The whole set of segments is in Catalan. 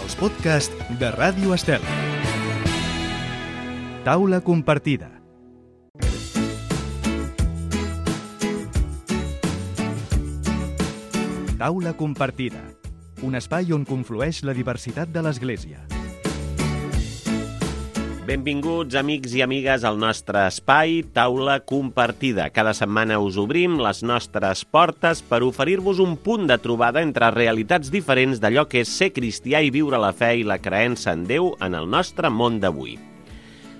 els podcasts de Ràdio Estel. Taula compartida. Taula compartida, un espai on conflueix la diversitat de l'Església. Benvinguts, amics i amigues, al nostre espai Taula Compartida. Cada setmana us obrim les nostres portes per oferir-vos un punt de trobada entre realitats diferents d'allò que és ser cristià i viure la fe i la creença en Déu en el nostre món d'avui.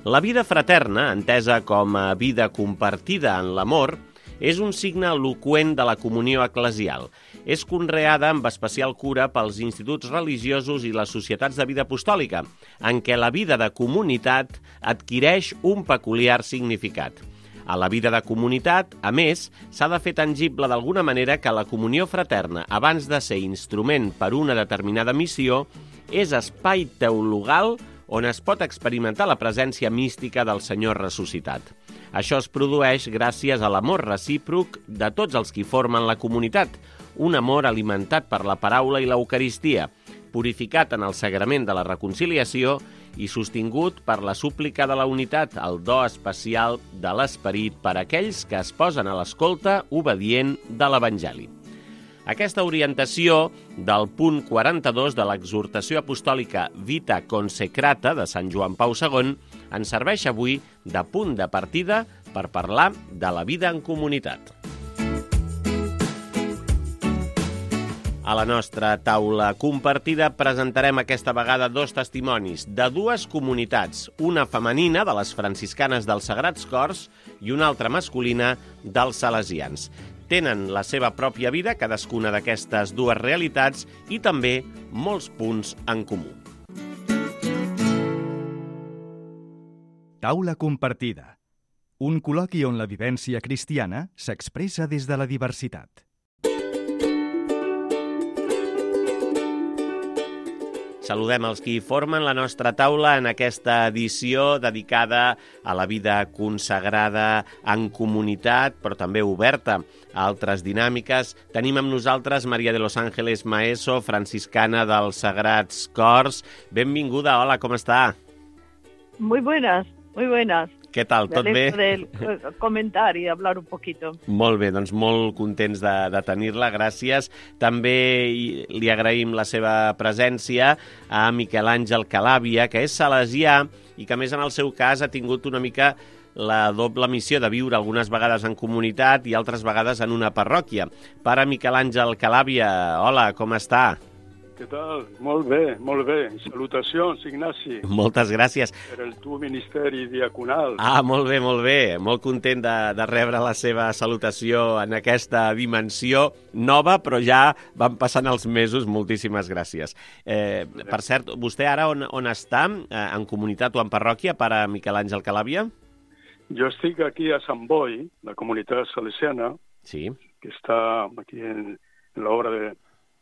La vida fraterna, entesa com a vida compartida en l'amor, és un signe eloqüent de la comunió eclesial. És conreada amb especial cura pels instituts religiosos i les societats de vida apostòlica, en què la vida de comunitat adquireix un peculiar significat. A la vida de comunitat, a més, s'ha de fer tangible d'alguna manera que la comunió fraterna, abans de ser instrument per una determinada missió, és espai teologal on es pot experimentar la presència mística del Senyor ressuscitat. Això es produeix gràcies a l'amor recíproc de tots els qui formen la comunitat, un amor alimentat per la paraula i l'Eucaristia, purificat en el sagrament de la reconciliació i sostingut per la súplica de la unitat, el do especial de l'Esperit per a aquells que es posen a l'escolta obedient de l'Evangeli. Aquesta orientació del punt 42 de l'exhortació apostòlica Vita Consecrata de Sant Joan Pau II ens serveix avui de punt de partida per parlar de la vida en comunitat. A la nostra taula compartida presentarem aquesta vegada dos testimonis de dues comunitats, una femenina de les franciscanes dels Sagrats Cors i una altra masculina dels salesians. Tenen la seva pròpia vida, cadascuna d'aquestes dues realitats, i també molts punts en comú. Taula compartida. Un col·loqui on la vivència cristiana s'expressa des de la diversitat. Saludem els qui formen la nostra taula en aquesta edició dedicada a la vida consagrada en comunitat, però també oberta a altres dinàmiques. Tenim amb nosaltres María de los Ángeles Maeso, franciscana dels Sagrats Cors. Benvinguda, hola, com està? Muy buenas, muy buenas. Què tal, tot bé? Del comentar i hablar un poquito. Molt bé, doncs molt contents de tenir-la, gràcies. També li agraïm la seva presència a Miquel Àngel Calàbia, que és salesià i que, a més, en el seu cas ha tingut una mica la doble missió de viure algunes vegades en comunitat i altres vegades en una parròquia. Pare Miquel Àngel Calàbia, hola, com està? Què tal? Molt bé, molt bé. Salutacions, Ignasi. Moltes gràcies. Per el teu ministeri diaconal. Molt bé, molt bé. Molt content de rebre la seva salutació en aquesta dimensió nova, però ja van passant els mesos. Moltíssimes gràcies. Per cert, vostè ara on està? En comunitat o en parròquia, pare Miquel Àngel Calàbia? Jo estic aquí a Sant Boi, la comunitat salesiana, sí, que està aquí en l'obra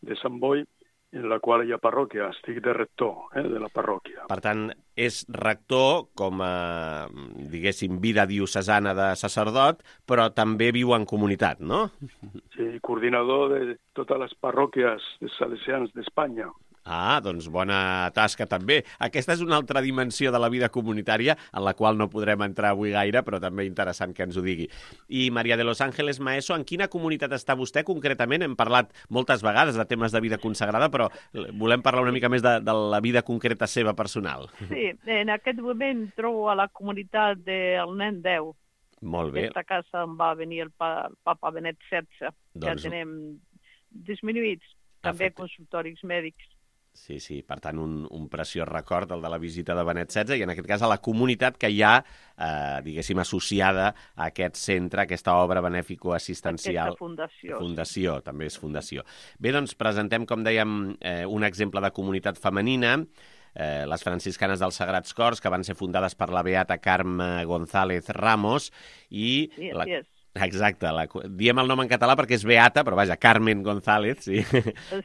de Sant Boi, en la qual hi ha parròquia. Estic de rector de la parròquia. Per tant, és rector com a, diguéssim, vida diocesana de sacerdot, però també viu en comunitat, no? Sí, coordinador de totes les parròquies de salesians d'Espanya. Doncs bona tasca també. Aquesta és una altra dimensió de la vida comunitària en la qual no podrem entrar avui gaire, però també interessant que ens ho digui. I María de los Ángeles Maeso, en quina comunitat està vostè concretament? Hem parlat moltes vegades de temes de vida consagrada, però volem parlar una mica més de la vida concreta seva personal. Sí, en aquest moment trobo a la comunitat del Nen Déu. Molt bé. Aquesta casa em va venir el papa Benet XVI. Ja tenem disminuïts, també consultoris mèdics. Sí, per tant, un preciós record, el de la visita de Benet XVI, i en aquest cas a la comunitat que hi ha, diguéssim, associada a aquest centre, a aquesta obra benèfico-assistencial. Aquesta Fundació, també és fundació. Bé, doncs presentem, com dèiem, un exemple de comunitat femenina, les franciscanes dels Sagrats Cors, que van ser fundades per la beata Carme González Ramos, i... Sí, Exacte, diem el nom en català perquè és beata, però vaja, Carmen González, sí.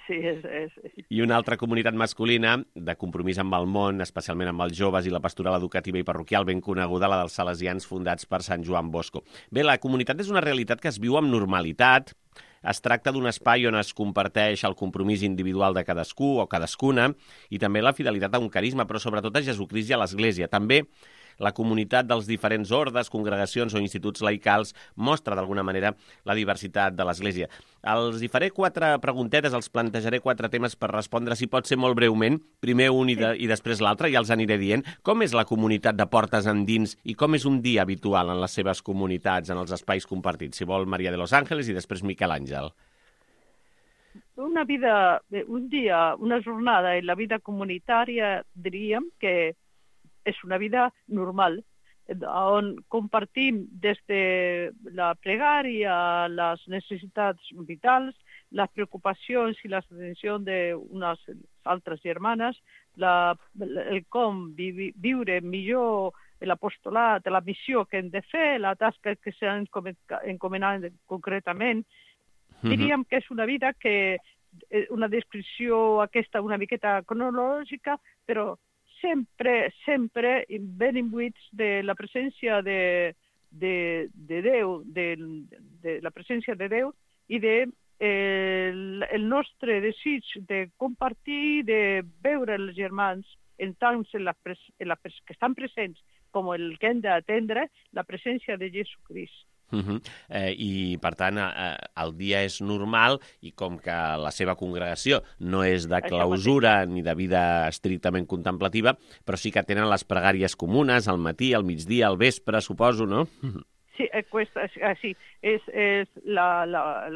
Sí, és. I una altra comunitat masculina de compromís amb el món, especialment amb els joves i la pastoral educativa i parroquial ben coneguda, la dels salesians fundats per Sant Joan Bosco. Bé, la comunitat és una realitat que es viu amb normalitat, Es tracta d'un espai on es comparteix el compromís individual de cadascú o cadascuna i també la fidelitat a un carisma, però sobretot a Jesucrist i a l'Església. També la comunitat dels diferents ordes, congregacions o instituts laicals mostra d'alguna manera la diversitat de l'Església. Els hi faré 4 preguntetes, els plantejaré 4 temes per respondre, si pot ser molt breument, primer un i després l'altre, ja els aniré dient. Com és la comunitat de portes endins i com és un dia habitual en les seves comunitats, en els espais compartits? Si vol, María de los Ángeles i després Miquel Àngel. Una jornada en la vida comunitària, diríem que és una vida normal, on compartim des de la pregària, les necessitats vitals, les preocupacions i les atencions d'unes altres germanes, el com viure millor l'apostolat, la missió que hem de fer, la tasca que s'ha encomanat concretament. Diríem que és una vida que una descripció aquesta una miqueta cronològica, però sempre ben imbuïts de la presència de Déu, de la presència de Déu i el nostre desig de compartir, de veure els germans tant que estan presents com el que hem d'atendre, la presència de Jesucrist. I, per tant, el dia és normal i com que la seva congregació no és de clausura ni de vida estrictament contemplativa, però sí que tenen les pregàries comunes al matí, al migdia, al vespre, suposo, no? Sí, és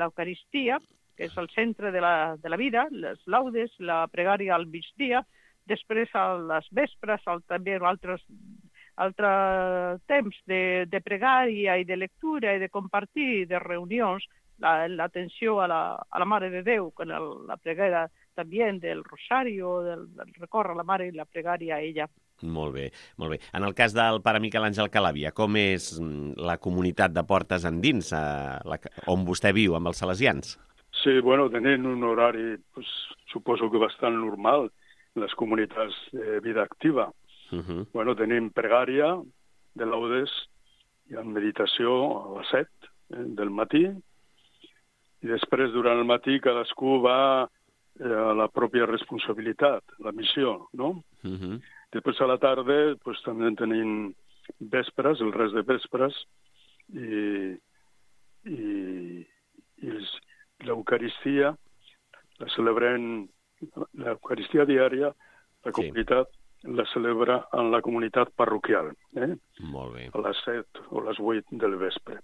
l'Eucaristia, que és el centre de la vida, les laudes, la pregària al migdia, després a les vespres, també altre temps de pregària i de lectura i de compartir, de reunions, l'atenció a la Mare de Déu, con la pregària també del Rosario, del recórrer a la Mare i la pregària a ella. Molt bé, molt bé. En el cas del pare Miquel Àngel Calàbia, com és la comunitat de portes endins, on vostè viu, amb els salesians? Sí, bueno, tenen un horari, suposo que bastant normal, les comunitats de vida activa. Bueno, tenim pregària de laudes i meditació a les 7 del matí i després durant el matí cadascú va a la pròpia responsabilitat, la missió, no? Després a la tarda també tenim vespres, el rest de vespres i l'Eucaristia la celebrem, l'Eucaristia diària, la comunitat la celebra en la comunitat parroquial, Molt bé. A les 7 o les 8 del vespre.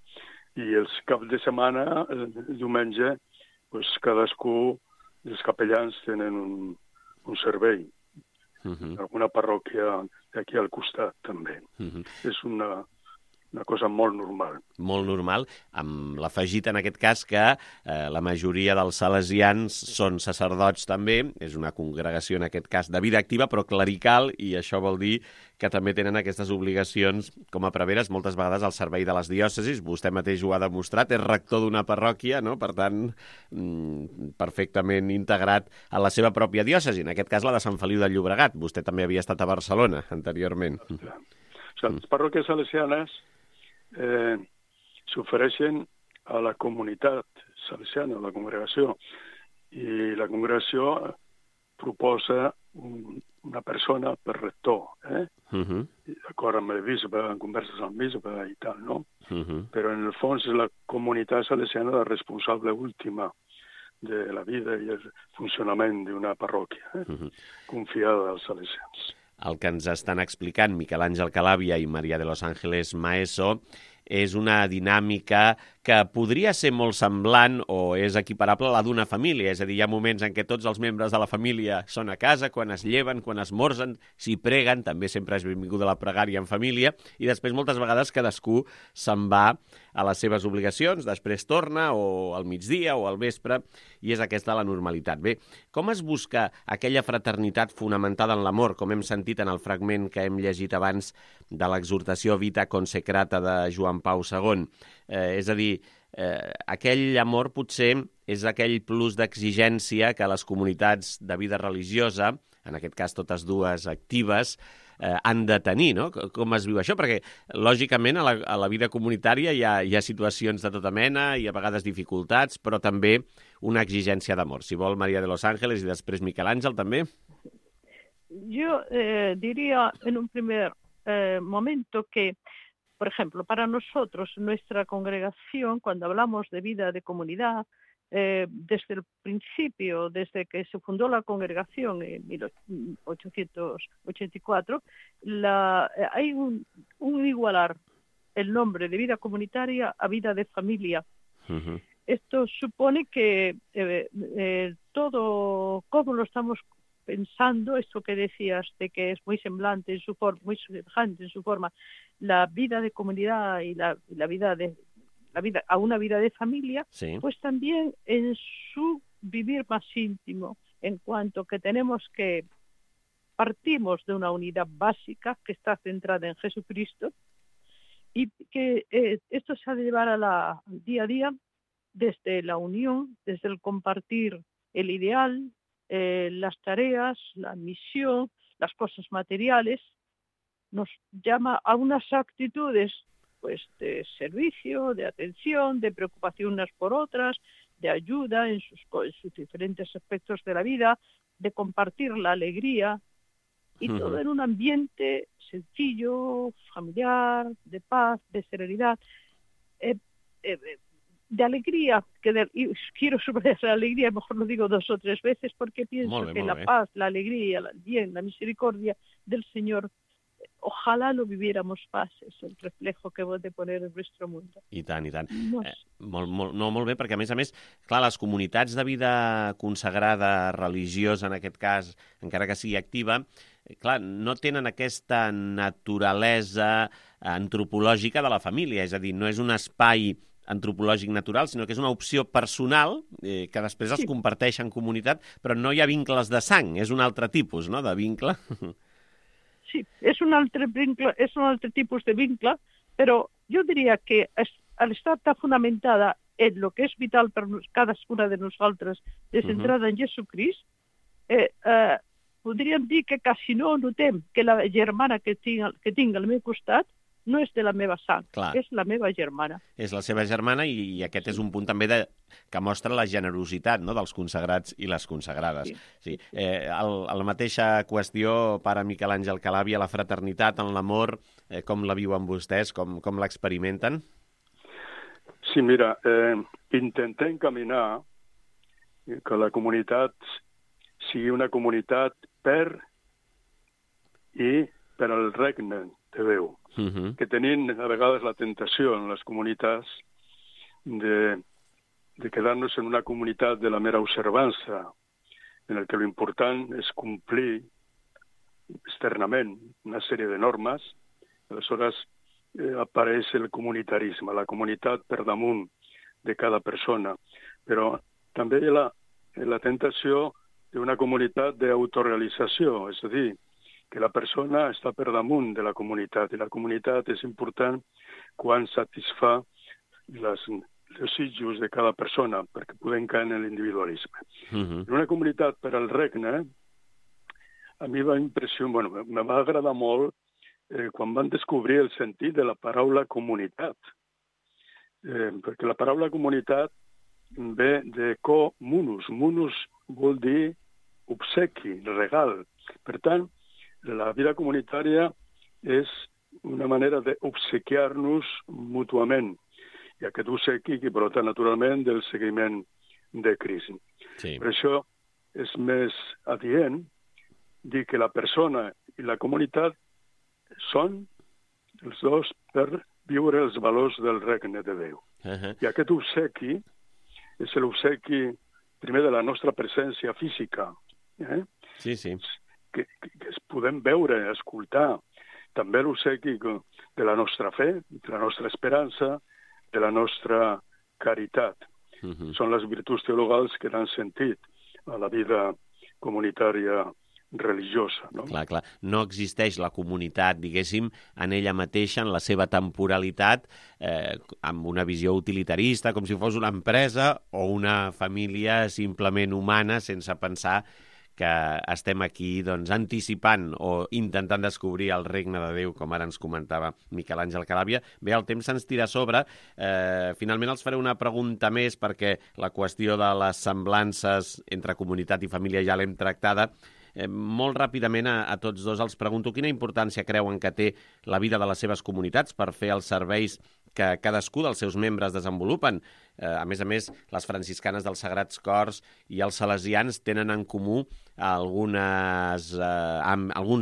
I els caps de setmana, el diumenge, cadascú dels capellans tenen un servei. Alguna parròquia d'aquí al costat, també. És una cosa molt normal. Molt normal, amb l'afegit en aquest cas que la majoria dels salesians són sacerdots també, és una congregació en aquest cas de vida activa però clerical, i això vol dir que també tenen aquestes obligacions com a preveres moltes vegades al servei de les diòcesis. Vostè mateix ho ha demostrat, és rector d'una parròquia, no? Per tant, perfectament integrat a la seva pròpia diòcesi, en aquest cas la de Sant Feliu de Llobregat. Vostè també havia estat a Barcelona anteriorment. Les parròquies salesianes s'ofereixen a la comunitat salesiana, a la congregació, i la congregació proposa una persona per rector, d'acord amb el bisbe, en converses amb el bisbe i tal, no? Però en el fons és la comunitat salesiana la responsable última de la vida i el funcionament d'una parròquia, confiada als salesians. El que ens estan explicant Miquel Àngel Calàbia i María de los Ángeles Maeso és una dinàmica que podria ser molt semblant o és equiparable a la d'una família. És a dir, hi ha moments en què tots els membres de la família són a casa, quan es lleven, quan esmorzen, s'hi preguen, també sempre és benvinguda la pregària en família, i després moltes vegades cadascú se'n va a les seves obligacions, després torna o al migdia o al vespre, i és aquesta la normalitat. Bé, com es busca aquella fraternitat fonamentada en l'amor, com hem sentit en el fragment que hem llegit abans de l'exhortació Vita Consecrata de Joan Pau II? És a dir, aquell amor potser és aquell plus d'exigència que les comunitats de vida religiosa, en aquest cas totes dues actives, han de tenir, no? Com es viu això? Perquè, lògicament, a la vida comunitària hi ha situacions de tota mena, hi ha a vegades dificultats, però també una exigència d'amor. Si vol, María de los Ángeles i després Miquel Àngel, també. Yo diría en un primer momento que, por ejemplo, para nosotros, nuestra congregación, cuando hablamos de vida de comunidad, desde el principio, desde que se fundó la congregación en 1884, hay un igualar el nombre de vida comunitaria a vida de familia. Uh-huh. Esto supone que todo, como lo estamos pensando, esto que decías de que es muy semejante en su forma, la vida de comunidad y la vida a una vida de familia, sí, pues también en su vivir más íntimo, en cuanto que partimos de una unidad básica que está centrada en Jesucristo, y que esto se ha de llevar al día a día desde la unión, desde el compartir el ideal, las tareas, la misión, las cosas materiales. Nos llama a unas actitudes pues de servicio, de atención, de preocupación unas por otras, de ayuda en sus diferentes aspectos de la vida, de compartir la alegría, y todo en un ambiente sencillo, familiar, de paz, de serenidad, de alegría, y quiero subrayar la alegría, mejor lo digo 2 o 3 veces, porque pienso que la paz, la alegría, el bien, la misericordia del Señor, ojalà lo viviéramos más, és el reflejo que vol de poner en nuestro mundo. I tant, i tant. Molt bé, perquè a més, clar, les comunitats de vida consagrada, religiosa en aquest cas, encara que sigui activa, clar, no tenen aquesta naturalesa antropològica de la família, és a dir, no és un espai antropològic natural, sinó que és una opció personal que després es comparteix en comunitat, però no hi ha vincles de sang, és un altre tipus, no?, de vincle. Sí, es un altre tipus de vincle, però jo diria que al estar tan fonamentada en lo que és vital per cadascuna de nosaltres, centrada en Jesucrist, podríem dir que quasi no notem que la germana que tinc al meu costat no és de la meva sang, és la meva germana. És la seva germana i aquest és un punt també que mostra la generositat, no?, dels consagrats i les consagrades. Sí. La mateixa qüestió, pare Miquel Àngel Calàbia, la fraternitat en l'amor, com la viuen vostès, com l'experimenten? Sí, mira, intentem caminar que la comunitat sigui una comunitat per i per al regne de Déu. Que tenim a vegades la tentació en les comunitats de quedar-nos en una comunitat de la mera observança, en el que lo important és complir externament una sèrie de normes. Aleshores apareix el comunitarisme, la comunitat per damunt de cada persona. Però també hi ha la tentació d'una comunitat d'autorealització, és a dir, que la persona està per damunt de la comunitat, i la comunitat és important quan satisfà els desitjos de cada persona, perquè podem caure en l'individualisme. En una comunitat per al regne, a mi me va agradar molt quan van descobrir el sentit de la paraula comunitat, perquè la paraula comunitat ve de co-munus. Munus vol dir obsequi, regal. Per tant, la vida comunitària és una manera d'obsequiar-nos mútuament, i aquest obsequi que brota naturalment del seguiment de Crist. Sí. Per això és més adient dir que la persona i la comunitat són els dos per viure els valors del regne de Déu. I aquest obsequi és l'obsequi primer de la nostra presència física. Sí, sí. Que es podem veure, escoltar, també l'obsequi de la nostra fe, de la nostra esperança, de la nostra caritat. Són les virtuts teologals que dan sentit a la vida comunitària religiosa. No? Clar. No existeix la comunitat, diguéssim, en ella mateixa, en la seva temporalitat, amb una visió utilitarista, com si fos una empresa o una família simplement humana, sense pensar que estem aquí anticipant o intentant descobrir el regne de Déu, com ara ens comentava Miquel Àngel Calàbia. Bé, el temps se'ns tira a sobre. Finalment els faré una pregunta més, perquè la qüestió de les semblances entre comunitat i família ja l'hem tractada. Molt ràpidament a tots dos els pregunto quina importància creuen que té la vida de les seves comunitats per fer els serveis que cadascú dels seus membres desenvolupen. A més, les franciscanes dels Sagrats Cors i els salesians tenen en comú alguns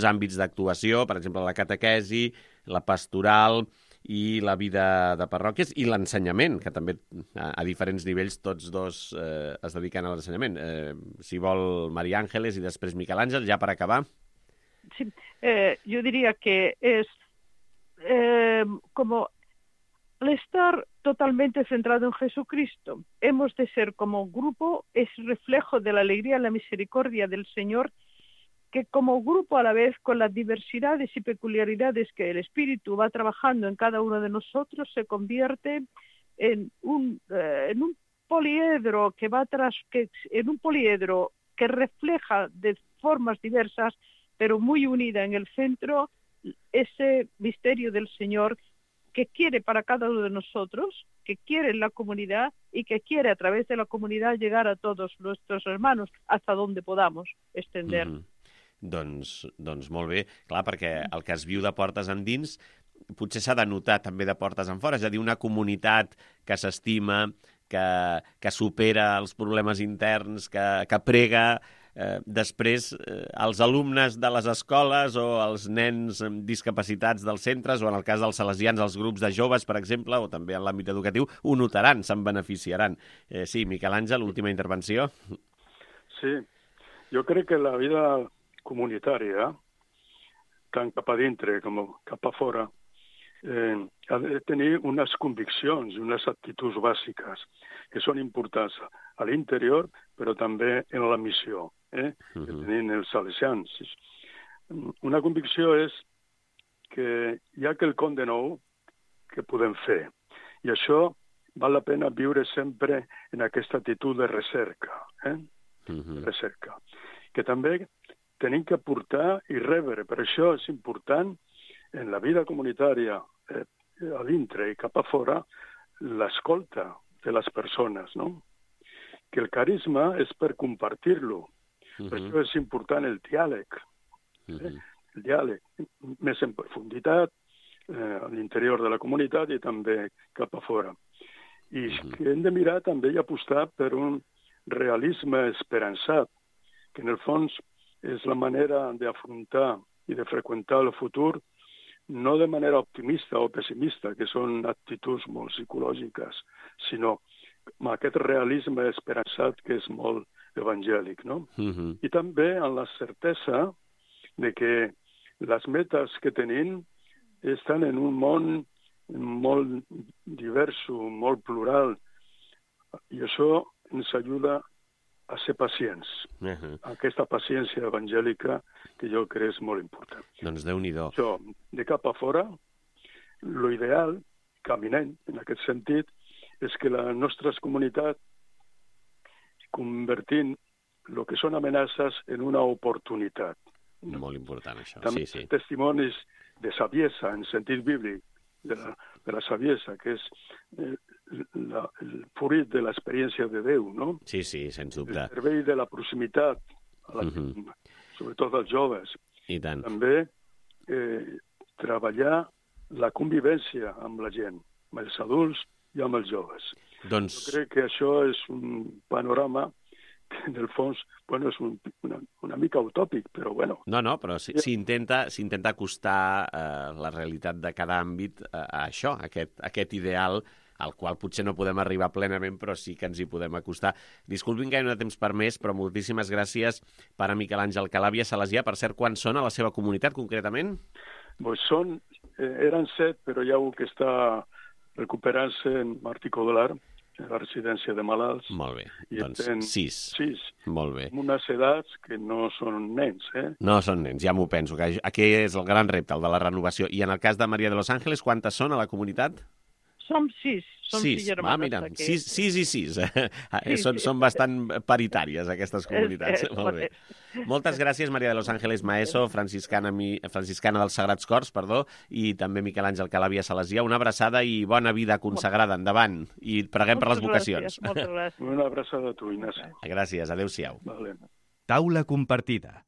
àmbits d'actuació, per exemple, la catequesi, la pastoral i la vida de parròquies i l'ensenyament, que també a diferents nivells tots dos es dediquen a l'ensenyament. Si vol, María Ángeles i després Miquel Àngel, ja per acabar. Sí, yo diría que es como al estar totalmente centrado en Jesucristo, hemos de ser como grupo, es reflejo de la alegría y la misericordia del Señor, que como grupo a la vez, con las diversidades y peculiaridades que el Espíritu va trabajando en cada uno de nosotros, se convierte en un poliedro que refleja de formas diversas, pero muy unida en el centro, ese misterio del Señor que quiere para cada uno de nosotros, que quiere en la comunidad y que quiere a través de la comunidad llegar a todos nuestros hermanos hasta donde podamos extender. Doncs molt bé, clar, perquè el que es viu de portes endins potser s'ha de notar també de portes enfora, és a dir, una comunitat que s'estima, que supera els problemes interns, que prega. Després, els alumnes de les escoles o els nens amb discapacitats dels centres, o en el cas dels salesians, els grups de joves, per exemple, o també en l'àmbit educatiu, ho notaran, se'n beneficiaran. Sí, Miquel Àngel, última intervenció. Sí, jo crec que la vida comunitària, tant cap a dintre com cap a fora, ha de tenir unes conviccions, unes actituds bàsiques que són importants a l'interior, però també en la missió que tenen els salesians. Una convicció és que hi ha quelcom de nou que podem fer, i això val la pena viure sempre en aquesta actitud de recerca, recerca, que també tenim que aportar i rebre. Per això és important en la vida comunitària, a dintre i cap a fora, l'escolta de les persones, no? Que el carisma és per compartir-lo. Per això és important el diàleg. El diàleg més en profunditat a l'interior de la comunitat i també cap a fora. I que hem de mirar també i apostar per un realisme esperançat, que en el fons és la manera d'afrontar i de freqüentar el futur no de manera optimista o pessimista, que són actituds molt psicològiques, sinó amb aquest realisme esperançat que és molt evangèlic, no? I també amb la certesa de que les metes que tenim estan en un món molt divers, molt plural, i això ens ajuda a ser pacients. Aquesta paciència evangèlica que jo crec és molt important. Doncs Déu-n'hi-do. Això, de cap a fora, l'ideal, caminant en aquest sentit, és que les nostres comunitats convertint el que són amenaces en una oportunitat. Molt important, això. També sí. Testimonis de saviesa, en sentit bíblic, de la saviesa, que és el fruit de l'experiència de Déu, no? Sí, sens dubte. El servei de la proximitat, sobretot als joves. I tant. També treballar la convivència amb la gent, amb els adults i amb els joves. Doncs... Jo crec que això és un panorama que, en el fons, és una mica utòpic, però bueno. No, però s'intenta acostar la realitat de cada àmbit a això, a aquest ideal al qual potser no podem arribar plenament, però sí que ens hi podem acostar. Disculpin que hi ha temps per més, però moltíssimes gràcies per a Miquel Àngel Calàbia, salesià. Per cert, quan són a la seva comunitat, concretament? Eren 7, però hi ha un que està recuperant-se en Martí Codolar, a la residència de malalts. Molt bé, I doncs 6. 6. Molt bé. Amb unes edats que no són nens, No són nens, ja m'ho penso, que aquí és el gran repte, el de la renovació. I en el cas de Maria de Los Ángeles, quantes són a la comunitat? Som 6. Som 6 germanes. Mira, 6 i 6. Són bastant paritàries, aquestes comunitats. Molt bé. Moltes gràcies, Maria de Los Ángeles Maeso, franciscana dels Sagrats Cors, i també Miquel Àngel Calàbia Salesià. Una abraçada i bona vida consagrada. Endavant. I preguem per les vocacions. Moltes gràcies. Una abraçada a tu, Ignasi. Gràcies. Adéu-siau. Vale. Taula compartida.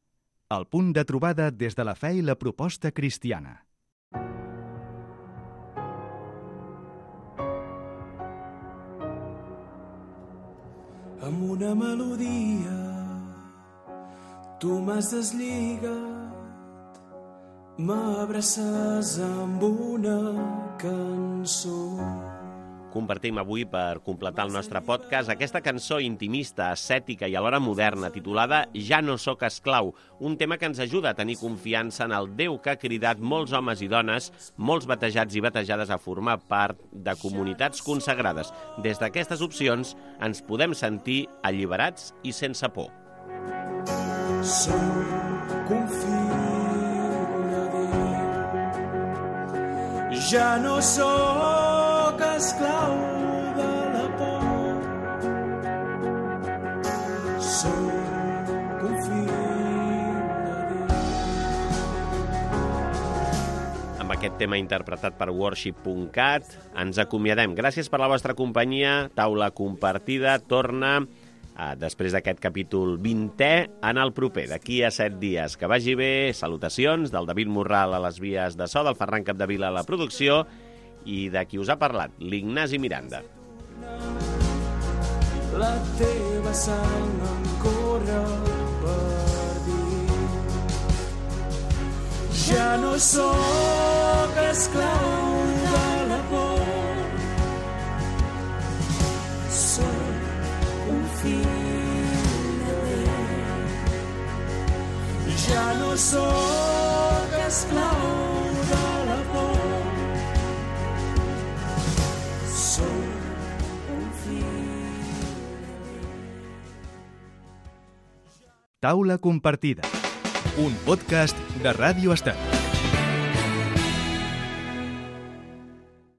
El punt de trobada des de la fe i la proposta cristiana. Amb una melodia tu m'has deslligat, m'abraces amb una cançó. Compartim avui, per completar el nostre podcast, aquesta cançó intimista, ascètica i alhora moderna, titulada Ja no sóc esclau, un tema que ens ajuda a tenir confiança en el Déu que ha cridat molts homes i dones, molts batejats i batejades, a formar part de comunitats consagrades. Des d'aquestes opcions ens podem sentir alliberats i sense por. Sóc un fill de Déu, ja no sóc esclau de la por. Sóc un fill de Déu. Amb aquest tema interpretat per worship.cat ens acomiadem. Gràcies per la vostra companyia. Taula compartida torna després d'aquest capítol 20è en el proper, d'aquí a 7 dies. Que vagi bé. Salutacions del David Morral a les vies de so, del Ferran Capdevila a la producció i de qui us ha parlat, l'Ignasi Miranda. La teva sang em corre per dins. Ja no sóc esclau de la por. Sóc un fill de Déu. Ja no sóc esclau de la por. Taula compartida. Un podcast de Ràdio Estat.